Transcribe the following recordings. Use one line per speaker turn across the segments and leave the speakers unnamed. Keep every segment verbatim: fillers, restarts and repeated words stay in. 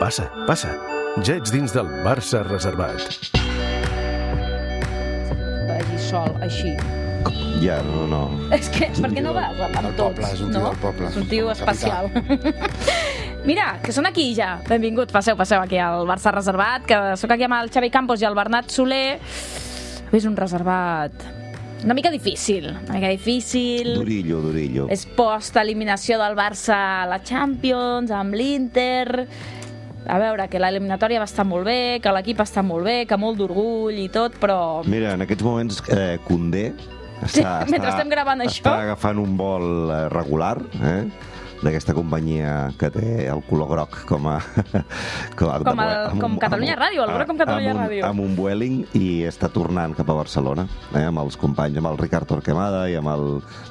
Passa, passa. Ja ets dins del Barça reservat.
Vagi sol, així.
Ja, no, no.
És que, per què no vas amb
Del
tots?
poble, és un tio
no?
del poble.
És un tio especial. Mira, que són aquí ja. Benvinguts, passeu, passeu aquí al Barça reservat, que sóc aquí amb el Xavi Campos i el Bernat Soler. És un reservat una mica difícil, una mica difícil.
Durillo, durillo.
És post-eliminació del Barça a la Champions, amb l'Inter. A veure, que l'eliminatòria va estar molt bé, que l'equip està molt bé, que molt d'orgull i tot, però...
Mira, en aquests moments eh, Koundé està,
mentre estem gravant això.
està agafant un vol eh, regular, eh? d'aquesta companyia que té el color groc com a... Com, a,
Com,
de,
el,
amb
com
un-
Catalunya
amb un-
Ràdio, el groc com Catalunya
amb un,
Ràdio.
amb un Vueling, i està tornant cap a Barcelona, eh? amb els companys, amb el Ricard Torquemada i amb el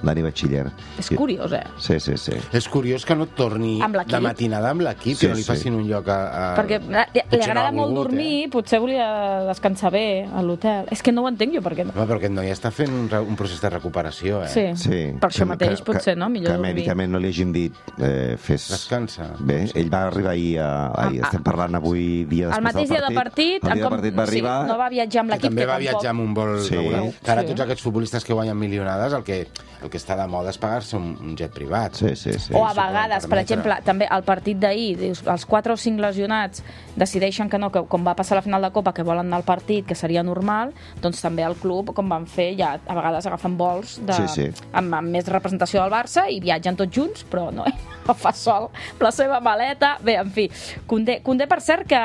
Dani Batxiller.
És curiós, eh?
Sí, sí, sí.
És curiós que no et torni
Amb l'equip.
de matinada amb l'equip,
Sí,
que no li
sí.
facin un lloc a... a...
Perquè li, li
Potser no
agrada
ha
molt
volgut,
dormir,
Eh?
potser volia descansar bé a l'hotel. És que no ho entenc jo, per què no?
Home, però aquest noi està fent un, re- un procés de recuperació, eh?
Sí,
Sí,
per això
que-
mateix,
que-
potser, no? Millor
que
dormir.
mèdicament no li hagin dit eh, fes...
Descansa.
Bé, ell va arribar ahir, a, ahir
Ah,
estem parlant avui dia
El
després
mateix
del
dia de
partit.
partit,
el dia
com-
de partit va arribar...
sí, no va viatjar amb
Que
l'equip,
també va
tampoc...
viatjar amb un vol
Sí.
regular. Que ara
Sí.
tots aquests futbolistes que guanyen milionades, el que, el que està de moda és pagar-se un, un jet privat.
Sí, sí, sí.
O a
s'ho poden
vegades, per
permetre.
exemple, també el partit d'ahir, dius, els quatre o cinc lesionats decideixen que no, que com va passar a la final de Copa, que volen anar al partit, que seria normal, doncs també el club, com van fer, ja a vegades agafen vols de,
Sí, sí.
Amb, amb més representació del Barça i viatgen tots junts, però no, no fa sol la seva maleta. Bé, en fi, Koundé, Koundé per cert, que,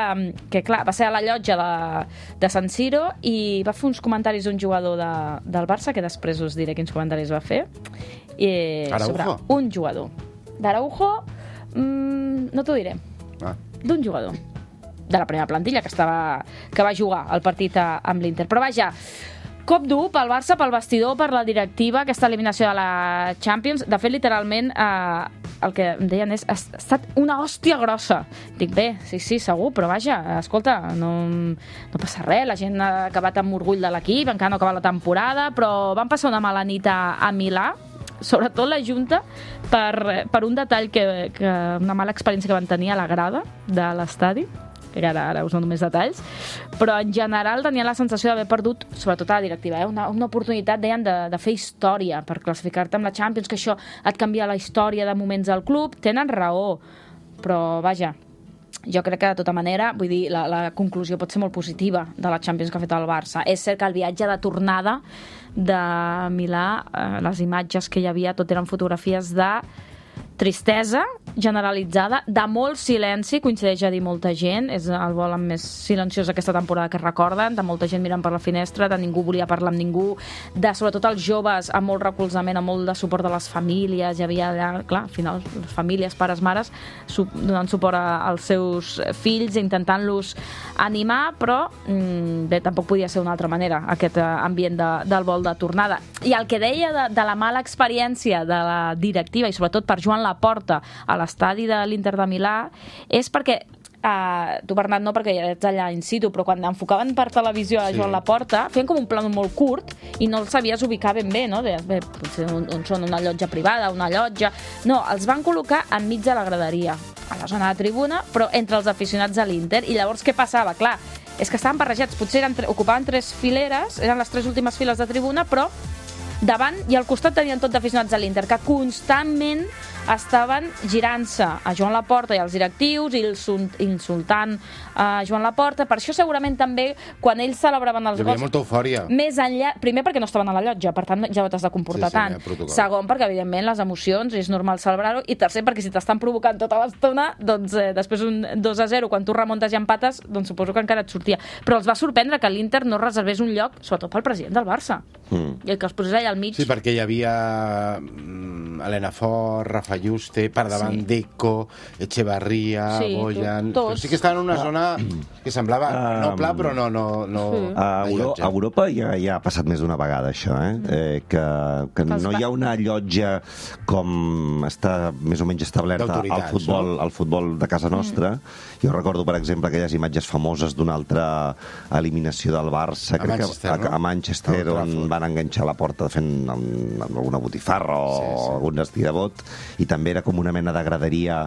que clar, va ser a la llotja de, de San Siro i va fer uns comentaris d'un jugador de, del Barça, que després us diré quins comentaris va fer, i, sobre
Araujo?
un jugador. D'Araujo, mmm, no t'ho diré.
Ah.
D'un jugador de la primera plantilla que, estava, que va jugar el partit a, amb l'Inter. Però vaja, cop dur pel Barça, pel vestidor, per la directiva, aquesta eliminació de la Champions. De fet, literalment, eh, el que em deien és ha estat una hòstia grossa. Dic, bé, sí, sí, segur, però vaja, escolta, no, no passa res, la gent ha acabat amb orgull de l'equip, encara no ha acabat la temporada, però van passar una mala nit a, a Milà, sobretot la Junta, per, per un detall, que, que una mala experiència que van tenir a la grada de l'estadi, que ara, ara us dono més detalls, però en general tenia la sensació d'haver perdut, sobretot a la directiva, eh? una, una oportunitat, deien, de, de fer història per classificar-te amb la Champions, que això et canvia la història de moments del club. Tenen raó, però vaja, jo crec que de tota manera, vull dir, la, la conclusió pot ser molt positiva de la Champions que ha fet el Barça. És cert que el viatge de tornada de Milà, eh, les imatges que hi havia, tot eren fotografies de tristesa generalitzada, de molt silenci, coincideix a dir molta gent, és el vol amb més silenciós aquesta temporada que recorden, de molta gent mirant per la finestra, de ningú volia parlar amb ningú, de sobretot els joves amb molt recolzament, amb molt de suport de les famílies, hi havia allà, clar, al final, les famílies, pares, mares, su donant suport a, als seus fills, intentant-los animar, però mmm, bé, tampoc podia ser d'una altra manera, aquest eh, ambient de, del vol de tornada. I el que deia de, de la mala experiència de la directiva, i sobretot per Joan Laporta a l'estadi de l'Inter de Milà, és perquè Uh, tu, Bernat, no, perquè ja ets allà in situ, però quan enfocaven per televisió a
Sí.
Joan Laporta, feien com un plano molt curt i no el sabies ubicar ben bé, no? Deies, bé, potser on, on són una llotja privada, una llotja... No, els van col·locar enmig de la graderia, a la zona de tribuna, però entre els aficionats a l'Inter. I llavors què passava? Clar, és que estaven barrejats, potser eren, ocupaven tres fileres, eren les tres últimes files de tribuna, però davant i al costat tenien tot d'aficionats a l'Inter, que constantment estaven girant-se a Joan Laporta i als directius i insultant a Joan Laporta. Per això segurament també quan ells celebraven els
Hi havia
gols,
molta eufòria.
més enllà, primer perquè no estaven a la llotja, per tant ja no t'has de comportar
Sí, sí,
tant.
hi ha protocol.
Segon, perquè evidentment les emocions és normal celebrar-ho, i tercer, perquè si t'estan provocant tota l'estona, doncs eh, després un dos a zero, quan tu remuntes i empates, doncs suposo que encara et sortia. Però els va sorprendre que l'Inter no reservés un lloc, sobretot pel president del Barça,
Mm.
i el que els posés allà al mig.
Sí, perquè hi havia mm, Helena Fort, Rafa Juste, per davant
Sí.
Deco, Echevarría,
Sí,
Boyan...
tots.
Però sí que estaven en una zona que semblava
Ah,
no pla, però no... no, no
Sí.
A,
de
Euro
llotja.
a Europa ja, ja ha passat més d'una vegada això, eh? eh que, que
Els
no
va-
hi ha una llotja com està més o menys establerta al
D'autoritats,
futbol,
no?
al futbol de casa nostra. Mm. Jo recordo, per exemple, aquelles imatges famoses d'una altra eliminació del Barça,
A
crec
Manchester,
que a,
no?
a Manchester,
A Old
on
Trafford.
van enganxar la porta fent amb, amb alguna botifarra o
Sí, sí.
algun destí de bot, i també era com una mena de graderia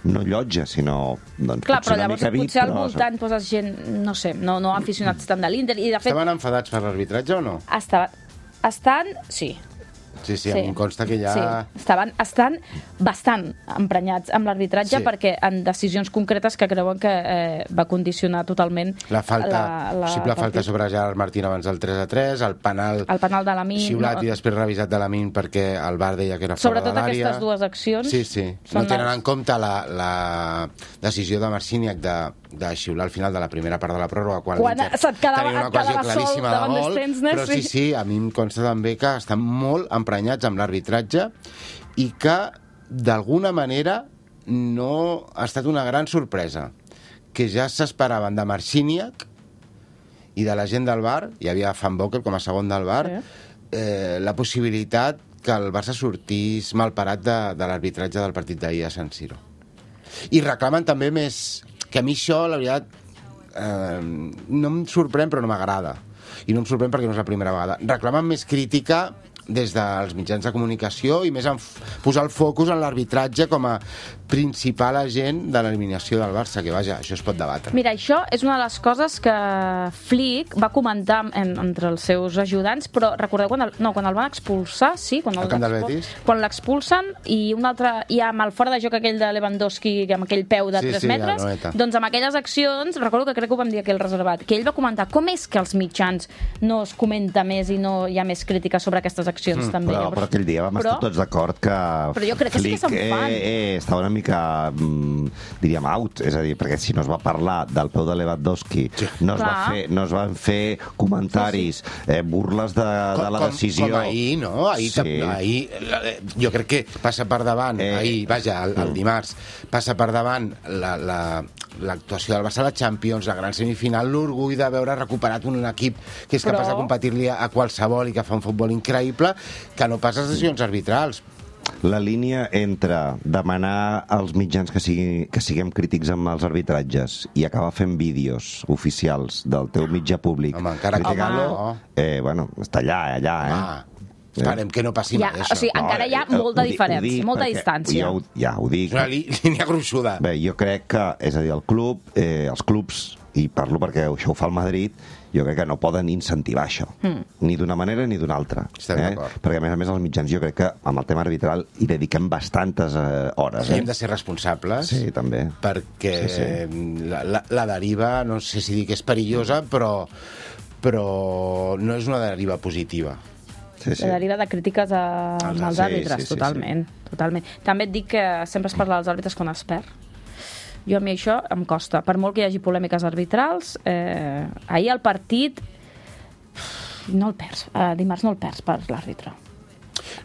no llotja, sinó doncs,
Clar,
potser
però
una
llavors
mica
potser al
però...
voltant poses gent, no sé, no, no aficionats tant de l'Inter, i de fet...
Estaven enfadats per l'arbitratge o no?
Estaven, estan, sí.
Sí, sí, sí. Em consta que ja...
Sí, estaven, estan bastant emprenyats amb l'arbitratge
Sí.
perquè en decisions concretes que creuen que eh, va condicionar totalment
La falta,
la, la
possible falta
partit.
sobre Gerard Martín abans del tres a tres, el penal,
El penal de Lamine,
xiulat
no.
i després revisat de Lamine perquè el V A R deia que era fora
Sobretot
de l'àrea.
aquestes dues accions
Sí, sí.
són
No tenen
les-
en compte la, la decisió de Marciniak de, de xiular al final de la primera part de la pròrroga quan,
Quan
l'Inter
se't quedava-
tenia una
et quedava
ocasió
sol
claríssima
davant
de
dels
gol,
Tensner,
però
sí.
sí, sí, a mi em consta també que estan molt emprenyats amb l'arbitratge i que d'alguna manera no ha estat una gran sorpresa, que ja s'esperaven de Marciniak i de la gent del V A R, hi havia Van Bokel com a segon del V A R,
Sí.
eh, la possibilitat que el Barça sortís malparat de, de l'arbitratge del partit d'ahir a San Siro. I reclamen també més... Que a mi això, la veritat, eh, no em sorprèn, però no m'agrada. I no em sorprèn perquè no és la primera vegada. Reclamen més crítica des dels mitjans de comunicació i més en f- posar el focus en l'arbitratge com a principal agent de l'eliminació del Barça, que vaja, això es pot debatre.
Mira, això és una de les coses que Flick va comentar en, entre els seus ajudants, però recordeu quan el, no, quan el van expulsar, sí? Quan el
Al camp del
expul-
Betis?
Quan l'expulsen i un altre, i amb el fora de joc aquell de Lewandowski amb aquell peu de
Sí,
tres
sí,
metres,
a Noeta.
doncs amb aquelles accions, recordo que crec que ho vam dir aquí al reservat, que ell va comentar com és que als mitjans no es comenta més i no hi ha més crítica sobre aquestes accions, mm, també.
Però,
Llavors-
però aquell dia vam
però,
estar tots d'acord que
Però jo crec que sí que
Flick,
se'n fan.
eh, eh, estava una mica, mm, diríem, out. És a dir, perquè si no es va parlar del peu de Lewandowski, sí. no, es va
Clar.
fer, no es van fer comentaris, eh, burles de, de la
com,
decisió.
Com ahir, no? Ahir,
Sí.
sí. ahir eh, jo crec que passa per davant,
Eh.
eh. ahir, vaja, el, el dimarts, passa per davant la, la, l'actuació del Barça a la Champions, la gran semifinal, l'orgull de veure recuperat un equip que és
Però-
capaç de competir-li a, a qualsevol i que fa un futbol increïble, que no pas les decisions arbitrals.
La línia entre demanar als mitjans que, sigui, que siguem crítics amb els arbitratges i acabar fent vídeos oficials del teu mitjà públic
Home, encara que
criticant-lo, eh, bueno, està allà, allà, eh?
Ah, esperem que no passi
Ja,
mai,
o
això.
sigui, encara hi ha
eh,
molta
ho di- ho
diferència,
dic
molta
perquè
distància.
Jo, ho- ja, ho dic.
És una lí- línia gruixuda.
Bé, jo crec que, és a dir, el club, eh, els clubs, i parlo perquè això ho fa el Madrid, jo crec que no poden incentivar això, mm. ni d'una manera ni d'una altra.
Estem
eh?
d'acord.
Perquè, a més a més, els mitjans, jo crec que amb el tema arbitral hi dediquem bastantes eh, hores.
Sí,
Eh?
hem de ser responsables.
Sí, també.
Perquè
Sí, sí.
sí. La, la, la deriva, no sé si dir que és perillosa, però, però no és una deriva positiva.
Sí, sí.
La deriva de crítiques a,
Els
als
sí,
àrbitres,
sí, sí,
totalment, totalment. També et dic que sempre es parla dels àrbitres quan es perd. Jo a mi això em costa. Per molt que hi hagi polèmiques arbitrals, eh, ahir el partit no el perds, eh, dimarts no el perds per l'àrbitre.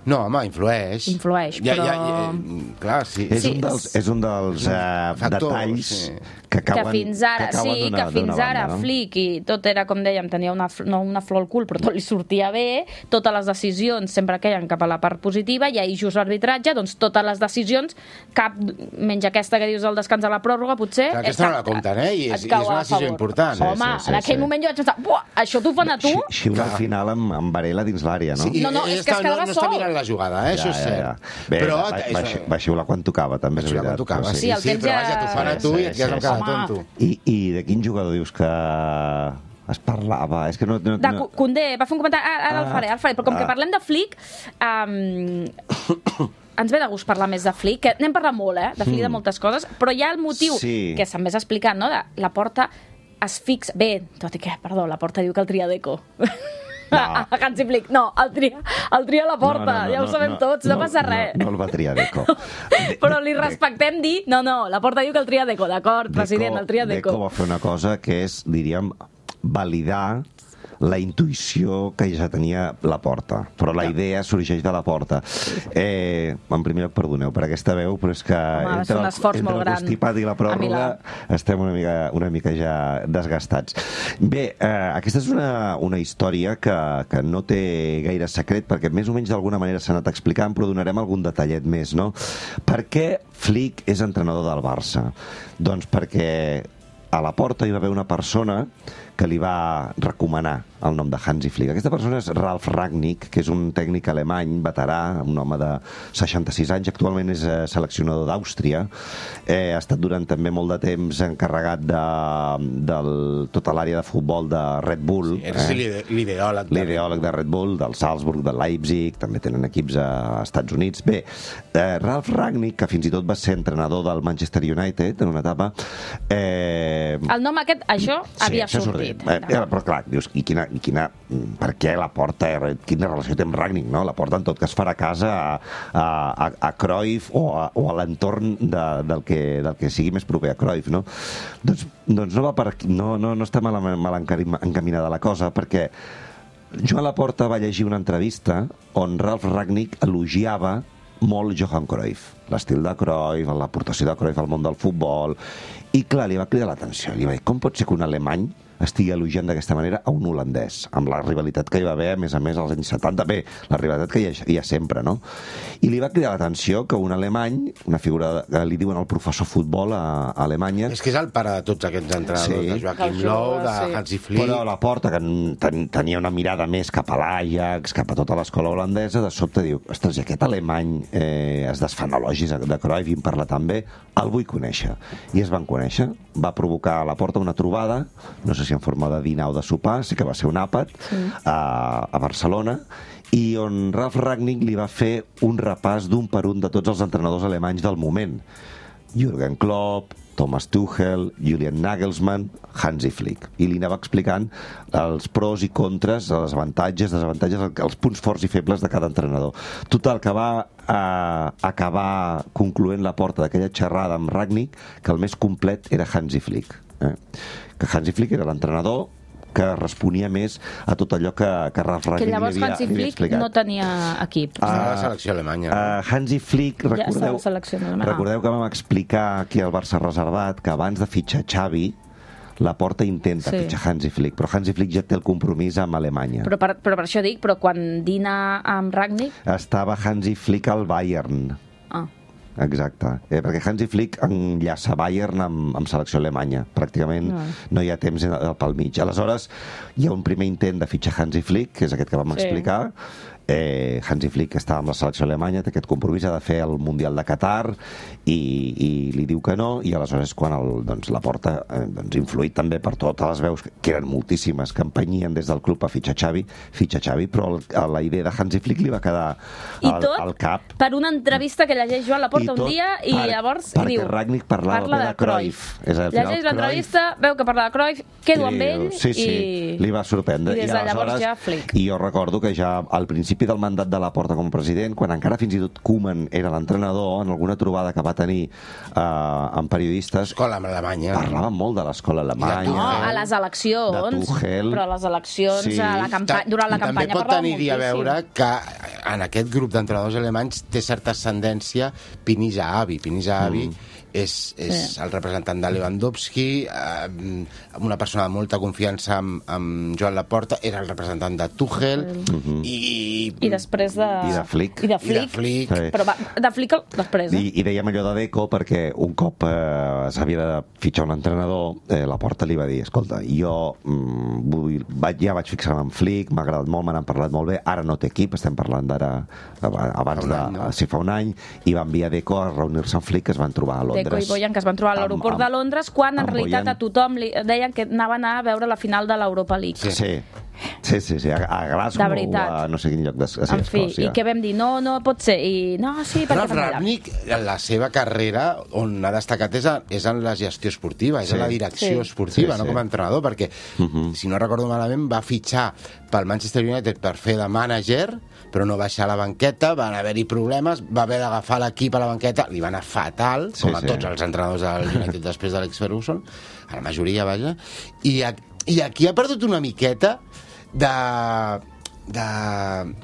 No, home, influeix.
Influeix,
ja,
però-
Ja, ja, clar, sí.
És,
Sí,
un dels, és un dels eh,
Factors,
detalls
sí.
que
Que
acaben,
fins ara,
que acaben
sí,
d'una-
que fins
d'una
ara
banda, no?
Flick i tot era, com dèiem, tenia una, fl- no una flor al cul, però tot li sortia bé, totes les decisions sempre queien cap a la part positiva, i ahir just l'arbitratge, doncs totes les decisions, cap, menys aquesta que dius del descans a la pròrroga, potser...
Clar, aquesta
et
no la
cap-
compten, eh? I
et
és- i
cau
és una
a
decisió
favor.
important.
Sí,
Home,
sí, sí,
en aquell
sí.
moment jo vaig pensar, buah, això t'ho fan a tu?
Xi- Xiula al final amb, amb Varela dins l'àrea, no?
Sí,
No, no,
ell
és que es
està-
quedava
no, no està
sol.
mirant la jugada, eh? Això és cert.
Bé,
però
va, va,
és-
va xiular quan tocava, també és
Xiular
veritat.
quan tocava,
però
sí,
Sí, el
sí,
temps
però
ja-
vaja, t'ho fan a tu
Sí,
i et quedes
sí,
amb
sí.
cada
Home.
tonto.
I, I de quin jugador dius que es parlava? És que no... no,
De
no...
Condé, va fer un comentari, ara, ara
Ah.
el faré, ara el faré, però com
Ah.
que parlem de Flick, um, ens ve de gust parlar més de Flick, que n'hem parlat molt, eh, de Flick, de moltes coses, però hi ha el motiu
Sí.
que se'm vés explicant, no?, de la porta es fixa... Bé, tot i que, perdó, la porta diu que el tria Deco.
No.
Hansi Flick, no, el tria, el tria la porta, ja ho sabem tots, no, passa res.
No, no el va triar Deco.
Però li respectem dir, no, no, la porta diu que el tria Deco, d'acord, president, el tria
Deco
Deco.
va fer una cosa que és, diríem, validar la intuïció que ja tenia la porta, però la idea sorgeix de la porta. Eh, en primer lloc, perdoneu per aquesta veu, però és que
Home, va ser un
el-
esforç
entre
molt
el
gran
constipat i la
a
pròrroga
Milà.
estem una mica, una mica ja desgastats. Bé, eh, aquesta és una, una història que, que no té gaire secret, perquè més o menys d'alguna manera s'ha anat explicant, però donarem algun detallet més, no? Per què Flick és entrenador del Barça? Doncs perquè a la porta hi va haver una persona que li va recomanar el nom de Hansi Flick. Aquesta persona és Ralf Rangnick, que és un tècnic alemany, veterà, un home de seixanta-sis anys, actualment és seleccionador d'Àustria, eh, ha estat durant també molt de temps encarregat de, de tota l'àrea de futbol de Red Bull.
Sí, és eh? l'ideòleg.
L'ideòleg de Red Bull, del Salzburg, del Leipzig, també tenen equips a Estats Units. Bé, eh, Ralf Rangnick, que fins i tot va ser entrenador del Manchester United en una etapa... Eh...
El nom aquest, això,
sí,
havia
això
sortit.
Eh, eh, però clar, dius, i quina, i quina, per què la porta, quina relació té amb Rangnick, no? La porta en tot cas farà casa a, a, a Cruyff o a, o a l'entorn de, del, que, del que sigui més proper a Cruyff, no? Doncs, doncs no va per aquí, no, no, no està mal, mal encaminada la cosa, perquè Joan Laporta va llegir una entrevista on Ralf Rangnick elogiava molt Johan Cruyff, l'estil de Cruyff, l'aportació de Cruyff al món del futbol, i clar, li va cridar l'atenció, li va dir, com pot ser que un alemany estigui elogiant d'aquesta manera a un holandès, amb la rivalitat que hi va haver, a més a més, als anys setanta, bé, la rivalitat que hi ha, hi ha sempre, no? I li va cridar l'atenció que un alemany, una figura que li diuen el professor futbol a, a Alemanya...
És que és el pare de tots aquests entrenadors, sí, de Joachim Löw, de sí. Hansi Flick...
Però a la porta, que ten, tenia una mirada més cap a l'Ajax, cap a tota l'escola holandesa, de sobte diu, ostres, i aquest alemany eh, es desfan elogis de Cruyff i en parla tan bé, el vull conèixer. I es van conèixer, va provocar a la porta una trobada, no sé si en forma de dinar o de sopar, sí que va ser un àpat, sí. a, a Barcelona, i on Ralf Rangnick li va fer un repàs d'un per un de tots els entrenadors alemanys del moment. Jürgen Klopp, Thomas Tuchel, Julian Nagelsmann, Hansi Flick. I li anava explicant els pros i contres, els avantatges, desavantatges, els punts forts i febles de cada entrenador. Total, que va eh, acabar concloent la porta d'aquella xerrada amb Rangnick que el més complet era Hansi Flick. Eh? Que Hansi Flick era l'entrenador que responia més a tot allò que, que Ralf Rangnick li havia,
que llavors Hansi Flick no tenia equip.
Uh, a la selecció alemanya. No?
Uh, Hansi Flick, recordeu,
ja
recordeu que vam explicar aquí al Barça Reservat que abans de fitxar Xavi, la porta intenta sí. fitxar Hansi Flick, però Hansi Flick ja té el compromís amb Alemanya.
Però per, però per això dic, però quan dina amb Rangnick...
Estava Hansi Flick al Bayern.
Ah.
Exacte, eh, perquè Hansi Flick enllaça Bayern amb, amb selecció alemanya, pràcticament no. no hi ha temps pel mig. Aleshores hi ha un primer intent de fitxar Hansi Flick, que és aquest que vam sí. explicar. eh, Hansi Flick està amb la selecció alemanya, té aquest compromís, ha de fer el Mundial de Qatar i, i li diu que no, i aleshores quan el, doncs, la porta eh, doncs, influït també per totes les veus, que eren moltíssimes, que empenyien des del club a fitxar Xavi, fitxa Xavi, però el, la idea de Hansi Flick li va quedar al,
tot
al cap.
Per una entrevista que llegeix Joan Laporta un dia i
per,
llavors
perquè
diu,
Rangnick parlava
parla de,
de Cruyff.
Cruyff. Llegeix l'entrevista, veu que parla de Cruyff, quedo amb ell
sí, sí,
i...
li va sorprendre.
I des de llavors ja Flick.
I jo recordo que ja al principi del mandat de la Porta com a president, quan encara fins i tot Koeman era l'entrenador, en alguna trobada que va tenir eh, amb periodistes...
Escola alemanya.
Parlava molt de l'escola alemanya.
No, a les eleccions.
De Tuchel.
Però a les eleccions, sí. a la campanya, durant la campanya
també pot
parlava
tenir
moltíssim.
a veure que en aquest grup d'entrenadors alemanys té certa ascendència Pini Zahavi. Pini Zahavi mm. és, és sí. el representant de Lewandowski, eh, una persona de molta confiança amb, amb Joan Laporta, era el representant de Tuchel, mm-hmm. i...
I després de...
I de Flick.
I de Flick.
I de Flick.
Sí.
Però va, de Flick després, eh?
I, i dèiem allò de Deco perquè un cop eh, s'havia de fitxar un entrenador, eh, Laporta li va dir, escolta, jo mm, vull, va, ja vaig fixar-me en Flick, m'ha agradat molt, me n'han parlat molt bé, ara no té equip, estem parlant d'ara abans de... No? Si fa un any, i va enviar Deco a reunir-se amb Flick, que es van trobar a Londres.
Deco i Bojan, que es van trobar a l'aeroport de Londres, quan en realitat Bojan... a tothom li deien que anaven a veure la final de l'Europa League.
Sí, sí. Sí, sí, sí, a, a Glasgow o a no sé quin lloc de sí,
en fi, Escòcia. I què vam dir? No, no pot ser. I no, sí, perquè
fa Rangnick, la seva carrera on ha destacat és, a, és en la gestió esportiva, és sí. en la direcció sí. esportiva, sí, no sí. com a entrenador, perquè, uh-huh. si no recordo malament, va fitxar pel Manchester United per fer de mànager, però no baixar a la banqueta, van haver-hi problemes, va haver d'agafar l'equip a la banqueta, li va anar fatal, sí, com a sí. tots els entrenadors del United després de l'Alex Ferguson, a la majoria, vaja, i, a, i aquí ha perdut una miqueta de, de,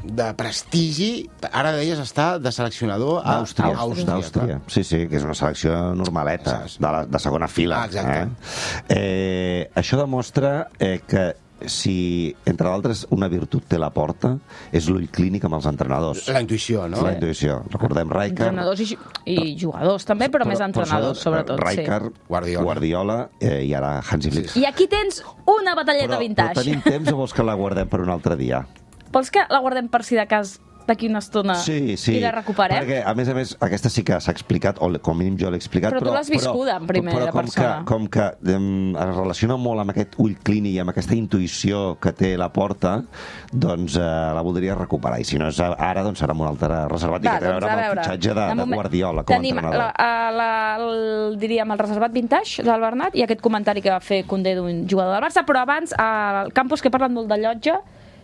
de prestigi. Ara deies estar de seleccionador a
Àustria.
Àustria.
Àustria. Sí, sí, que és una selecció normaleta, de, la, de segona fila.
Ah, exacte.
Eh? Eh, això demostra eh, que si, entre d'altres, una virtut té la Porta, és l'ull clínic amb els entrenadors.
La intuïció, no?
La intuïció. Recordem Rijkaard...
Entrenadors i, i jugadors també, però, però més entrenadors, sobretot.
Rijkaard,
sí.
Guardiola, Guardiola eh, i ara Hansi Flick.
I aquí tens una batalleta
però,
vintage.
Però tenim temps o vols que la guardem per un altre dia?
Vols que la guardem per si de cas d'aquí una estona
sí, sí,
i la recuperem?
Perquè, a més a més, aquesta sí que s'ha explicat, o com a mínim jo l'he explicat,
però... Però tu l'has viscuda en primera
però com
persona.
Que, com que um, es relaciona molt amb aquest ull clínic i amb aquesta intuïció que té la Porta, doncs uh, la voldria recuperar. I si no és ara, doncs serà amb un altre reservat. Va, i que té a veure amb el fitxatge de, de, de Guardiola com a
tenim
entrenador.
La, la, el, diríem, el reservat vintage del Bernat i aquest comentari que va fer Condé d'un jugador del Barça, però abans, al Campos, que he parlat molt de llotja,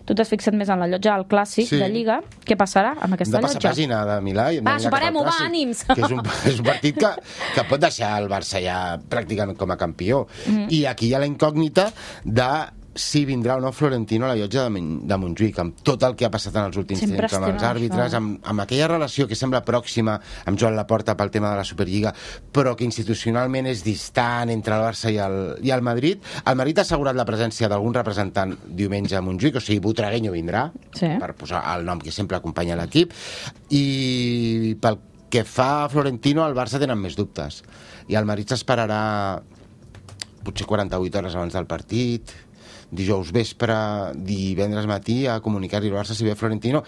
tu t'has fixat més en la llotja del clàssic sí. de Lliga. Què passarà amb aquesta llotja?
De passar pàgina de Milà. I
va, superem-ho, va, ànims!
Que és un, és un partit que, que pot deixar el Barça ja pràcticament com a campió. Mm. I aquí hi ha la incògnita de si vindrà o no Florentino a la llotja de, de Montjuïc, amb tot el que ha passat en els últims
Sempre
temps, amb els àrbitres, amb, amb aquella relació que sembla pròxima amb Joan Laporta pel tema de la Superliga, però que institucionalment és distant entre el Barça i el, i el Madrid. El Madrid ha assegurat la presència d'algun representant diumenge a Montjuïc, o sigui, Butragueño vindrà, sí. per posar el nom que sempre acompanya l'equip, i pel que fa a Florentino, el Barça tenen més dubtes. I el Madrid s'esperarà potser quaranta-vuit hores abans del partit, dijous vespre, divendres matí, a comunicar-li al Barça si ve Florentino,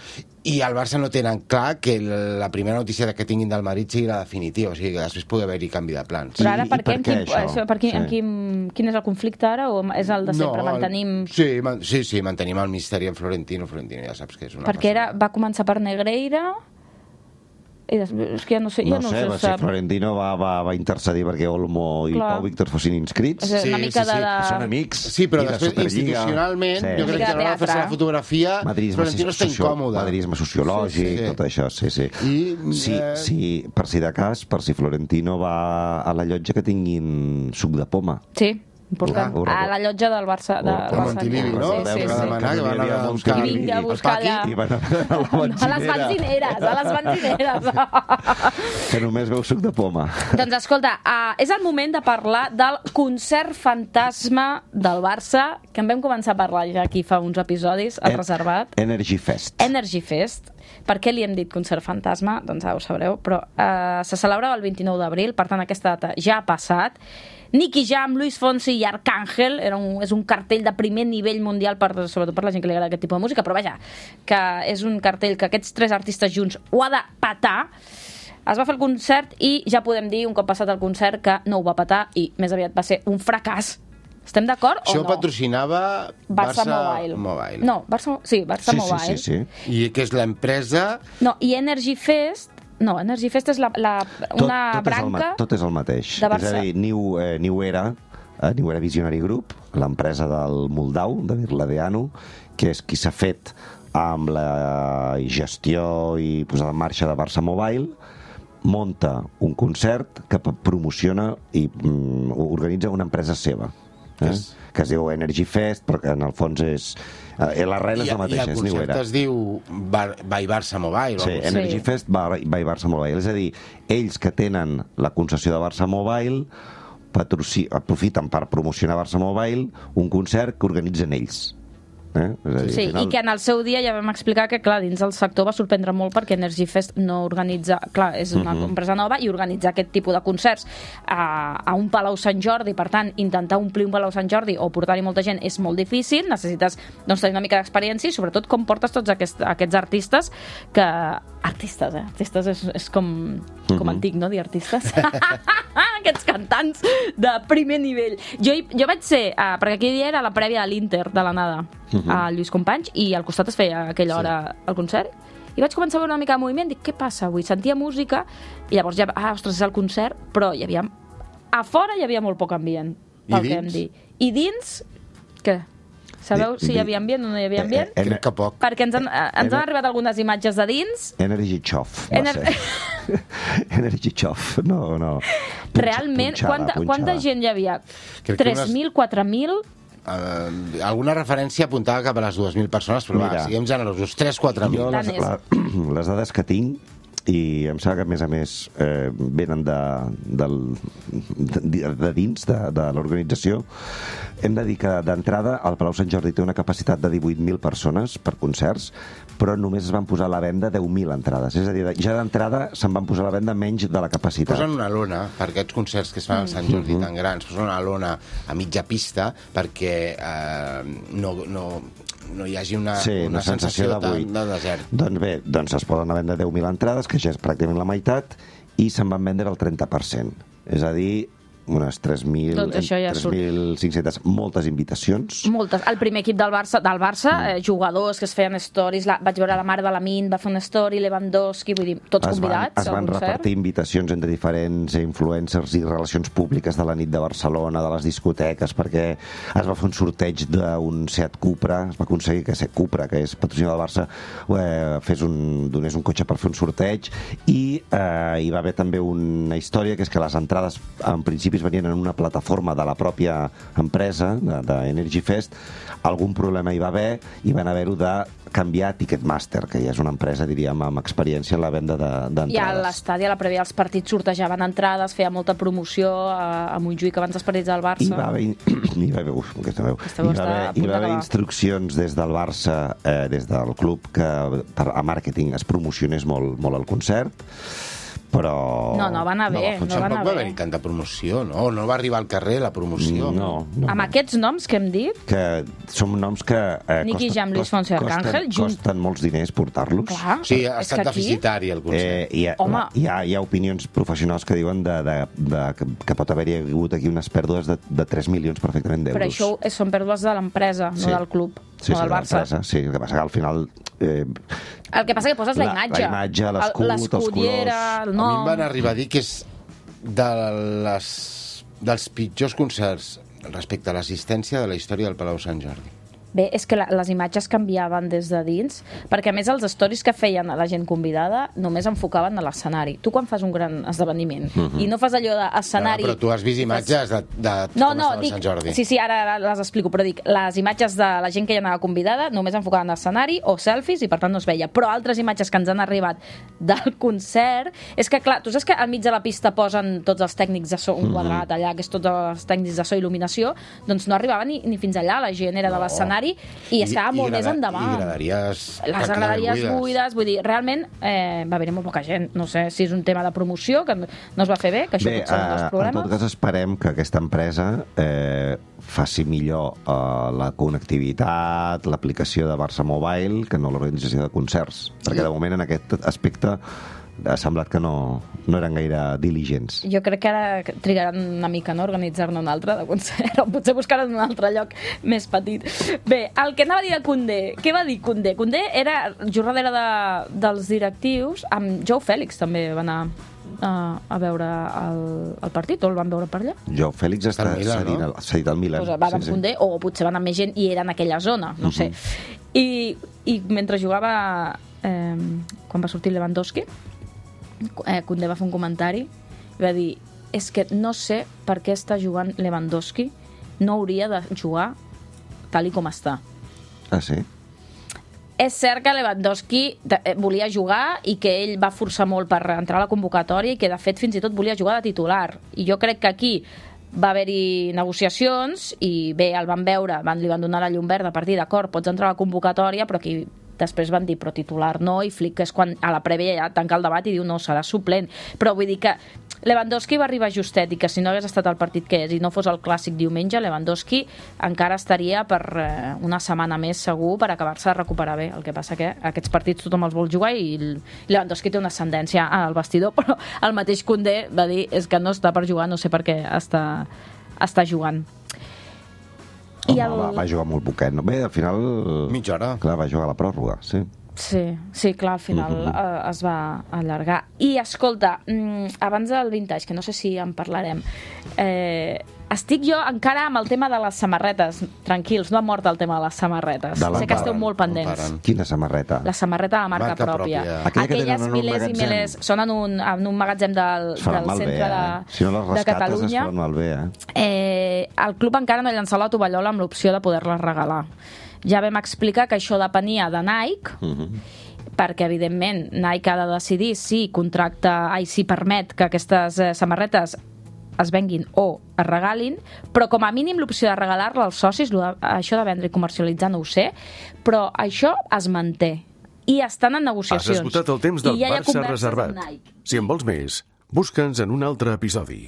i al Barça no tenen clar que la primera notícia que tinguin del Madrid sigui la definitiva, o sigui que després pugui haver-hi canvi de plans.
Però ara, per,
per què,
quin, això? Per quin, sí. quin, quin és el conflicte ara, o és el de sempre? No, mantenim...
Sí, man, sí, sí, mantenim el misteri en Florentino. Florentino ja saps que és una
Perquè era,
persona...
va començar per Negreira... I després, és que ja no sé, ja
no,
no
sé,
se
va
sap.
Si Florentino va, va, va intercedir perquè Olmo i Clar. Pau Víctor fossin inscrits.
És una mica
sí, sí,
de...
sí. Són amics.
Sí, però
de
després, institucionalment, sí. jo crec que a l'hora de fer-se la fotografia,
madridisme
Florentino està
socio...
incòmode.
Madridisme sociològic, sí, sí, sí. tot això, sí, sí.
I,
sí,
eh...
sí. Per si de cas, per si Florentino va a la llotja que tinguin suc de poma.
Sí. Important.
Ura, ura,
a la llotja del Barça. De,
de Montilivi, no?
Sí, sí, sí.
Demanar, que van a buscar
I vinga a buscar allà.
I van a, a,
a les benzineres, a les benzineres.
Que només veu suc de poma.
Doncs escolta, uh, és el moment de parlar del concert fantasma del Barça, que en vam començar a parlar ja aquí fa uns episodis, al en, reservat.
Energy Fest.
Energy Fest. Per què li hem dit concert fantasma? Doncs ja ho sabreu, però uh, se celebrava el vint-i-nou d'abril, per tant aquesta data ja ha passat. Nicky Jam, Luis Fonsi i Arcángel, era un, és un cartell de primer nivell mundial, per, sobretot per la gent que li agrada aquest tipus de música, però vaja, que és un cartell que aquests tres artistes junts ho ha de petar. Es va fer el concert i ja podem dir, un cop passat el concert, que no ho va petar i més aviat va ser un fracàs. Estem d'acord o no?
Això patrocinava
Barça,
Barça
Mobile.
Mobile.
No, Barça, sí, Barça
sí,
Mobile.
Sí, sí, sí.
I que és l'empresa...
No, i Energy Fest... No, Energy Fest és la, la, una
tot, tot
branca...
És el, tot és el mateix.
De Barça.
És a dir, New, eh, New Era, eh, New Era Visionary Group, l'empresa del Moldau, de Virladeanu, que és qui s'ha fet amb la gestió i posada en marxa de Barça Mobile, monta un concert que promociona i mm, organitza una empresa seva. Eh? Yes. Que es diu Energy Fest, però que en el fons és... Eh, l'arrel és la mateixa, és New Era.
I el concert es diu Bar by Barça Mobile.
Sí, Energy sí. Fest by, by Barça Mobile. És a dir, ells que tenen la concessió de Barça Mobile patroci... aprofiten per promocionar Barça Mobile un concert que organitzen ells. Eh? És a dir,
sí, final... i que en el seu dia ja vam explicar que, clar, dins del sector va sorprendre molt perquè Energy Fest no organitza... Clar, és una uh-huh. empresa nova i organitzar aquest tipus de concerts a, a un Palau Sant Jordi, per tant, intentar omplir un Palau Sant Jordi o portar-hi molta gent és molt difícil, necessites doncs, tenir una mica d'experiència i sobretot com portes tots aquests, aquests artistes que... Artistes, eh? Artistes és, és com, com uh-huh. antic, no?, dir artistes. Aquests cantants de primer nivell. Jo, jo vaig ser, uh, perquè aquell dia era la prèvia de l'Inter, de l'anada, uh-huh. a Lluís Companys, i al costat es feia a aquella hora sí. el concert, i vaig començar a veure una mica de moviment, dic, què passa avui? Sentia música, i llavors ja, ah, ostres, és el concert, però hi havia... A fora hi havia molt poc ambient, pel que hem dit. I dins, què? Sabeu si hi havia ambient o no hi havia ambient?
Eh, eh, crec que poc.
Perquè ens han, ens han arribat algunes imatges de dins.
Energy Chof, va
Ener...
ser. Energy Chof, no, no.
Punxa, realment, punxada, quanta, punxada. Quanta gent hi havia? tres mil, quatre mil?
Uh, alguna referència apuntava cap a les dues mil persones, però Mira, va, siguem generosos, tres quatre mil.
Jo les, la, les dades que tinc i em sembla que, a més a més, eh, venen de, del, de, de dins de, de l'organització. Hem de dir que, d'entrada, el Palau Sant Jordi té una capacitat de divuit mil persones per concerts, però només es van posar a la venda deu mil entrades. És a dir, ja d'entrada se'n van posar a la venda menys de la capacitat.
Posen una lona, per aquests concerts que es fan al Sant Jordi mm. tan grans, posen una lona a mitja pista perquè eh, no, no, no hi hagi una,
sí,
una, una sensació, sensació de, de desert.
Doncs bé, doncs es poden vendre deu mil entrades, que ja és pràcticament la meitat, i se'n van vendre el trenta per cent. És a dir, unes tres mil
doncs ja
tres mil cinc-centes, moltes invitacions.
Moltes. El primer equip del Barça, del Barça mm. eh, jugadors que es feien stories, la, vaig veure la mare de l'Amin, va fer una story, Lewandowski, vull dir, tots
es
convidats
van, es van repartir invitacions entre diferents influencers i relacions públiques de la nit de Barcelona, de les discoteques, perquè es va fer un sorteig d'un Seat Cupra, es va aconseguir que Seat Cupra, que és patrocinador del Barça, eh, fes un, donés un cotxe per fer un sorteig, i eh, hi va haver també una història, que és que les entrades, en principi, venien en una plataforma de la pròpia empresa, d'Energy Fest. Algun problema hi va haver i van haver-ho de canviar a Ticketmaster, que ja és una empresa, diríem, amb experiència en la venda d'entrades.
I a l'estadi, a la prèvia, els partits sortejaven entrades, feia molta promoció a, a Montjuïc abans dels partits del Barça.
I va haver, hi va haver, uf, aquesta veu, hi va haver, hi va haver instruccions des del Barça, eh, des del club, que per, a màrqueting es promocionés molt, molt el concert, però...
No, no va anar bé.
No,
no va
tampoc va haver-hi tanta promoció, no? No va arribar al carrer la promoció.
No, no.
Amb aquests noms que hem dit...
Que són noms que eh,
Nicky Jam, Luis Fonsi, Arcángel,
costen, costen molts diners portar-los.
Clar,
sí, ha estat
aquí...
deficitari el concert.
Eh, hi, ha,
Home.
hi, ha, hi ha opinions professionals que diuen de, de, de, que, que pot haver-hi hagut aquí unes pèrdues de, de tres milions perfectament d'euros.
Però això és, són pèrdues de l'empresa,
sí.
no del club,
sí,
no
sí,
del Barça.
Sí, el que passa que al final... Eh,
el que passa que poses la,
la
imatge.
La imatge, l'escut, els colors...
El
nom. A mi em van
no.
arribar a dir que és de les, dels pitjors concerts respecte a l'assistència de la història del Palau Sant Jordi.
Bé, és que la, les imatges canviaven des de dins, perquè a més els stories que feien a la gent convidada només enfocaven a l'escenari. Tu quan fas un gran esdeveniment uh -huh. i no fas allò d'escenari...
No, però tu has vist imatges de, de
no,
com
no,
estava
dic,
Sant Jordi.
Sí, sí, ara, ara les explico, però dic, les imatges de la gent que hi anava convidada només enfocaven a l'escenari o selfies i per tant no es veia. Però altres imatges que ens han arribat del concert, és que clar, tu saps que al mig de la pista posen tots els tècnics de so, un quadrat allà, que és tots els tècnics de so i il·luminació, doncs no arribava ni, ni fins allà, la gent era no. de l'escenari i estava I, molt i més endavant.
I graderies...
Les graderies buides. buides, vull dir, realment eh, va haver-hi molt poca gent. No sé si és un tema de promoció, que no es va fer bé, que això
bé,
potser són els problemes.
En tot cas, esperem que aquesta empresa eh, faci millor eh, la connectivitat, l'aplicació de Barça Mobile, que no l'organització de concerts. Perquè de moment en aquest aspecte ha semblat que no, no eren gaire diligents.
Jo crec que ara trigaran una mica, no?, organitzar-ne un altre de concert, o potser buscaran un altre lloc més petit. Bé, el que anava a dir de Koundé, què va dir Koundé? Koundé era jornalera de, dels directius, amb Joe Félix també va anar a, a veure el, el partit, o el van veure per allà?
Joe Félix està cedint no? al Milan.
Pues va amb sí, Koundé, sí. O potser van amb més gent i era en aquella zona, no uh -huh. sé. I, I mentre jugava, eh, quan va sortir Lewandowski, Eh, Koundé va fer un comentari i va dir, és que no sé per què està jugant Lewandowski, no hauria de jugar tal i com està.
Ah, sí?
És cert que Lewandowski volia jugar i que ell va forçar molt per entrar a la convocatòria i que de fet fins i tot volia jugar de titular, i jo crec que aquí va haver-hi negociacions i bé, el van veure, van, li van donar la llum verda per dir, d'acord, pots entrar a la convocatòria, però aquí després van dir, però titular no, i Flick és quan a la prèvia ja tanca el debat i diu, no, serà suplent. Però vull dir que Lewandowski va arribar justet i que si no hagués estat el partit que és i no fos el clàssic diumenge, Lewandowski encara estaria per eh, una setmana més segur per acabar-se de recuperar bé. El que passa que aquests partits tothom els vol jugar i Lewandowski té una ascendència al vestidor, però el mateix Koundé va dir, és que no està per jugar, no sé per què està, està jugant.
Home, el... va, va jugar molt poquet. No? Bé, al final...
Mitja hora.
Clar, va jugar a la pròrroga, sí.
Sí, sí, clar, al final uh -huh. eh, es va allargar. I, escolta, mm, abans del vintage, que no sé si en parlarem, eh, estic jo encara amb el tema de les samarretes. Tranquils, no ha mort el tema de les samarretes.
De
sé que esteu molt pendents.
Quina samarreta?
La samarreta de la marca, marca pròpia. pròpia. Aquelles milers i milers són en un, en un magatzem del, del centre bé, eh?
de, si no les
de Catalunya.
Es faran malbé, eh?
Eh, el club encara no ha llançat la tovallola amb l'opció de poder-les regalar. Ja vam explicar que això depenia de Nike, uh -huh. perquè evidentment Nike ha de decidir si contracta, ai, si permet que aquestes eh, samarretes es venguin o es regalin, però com a mínim l'opció de regalar-la als socis, de, això de vendre i comercialitzar no ho sé, però això es manté i estan en negociacions.
Has esgotat el temps del
ja
Barça reservat. Si en vols més, busca'ns en un altre episodi.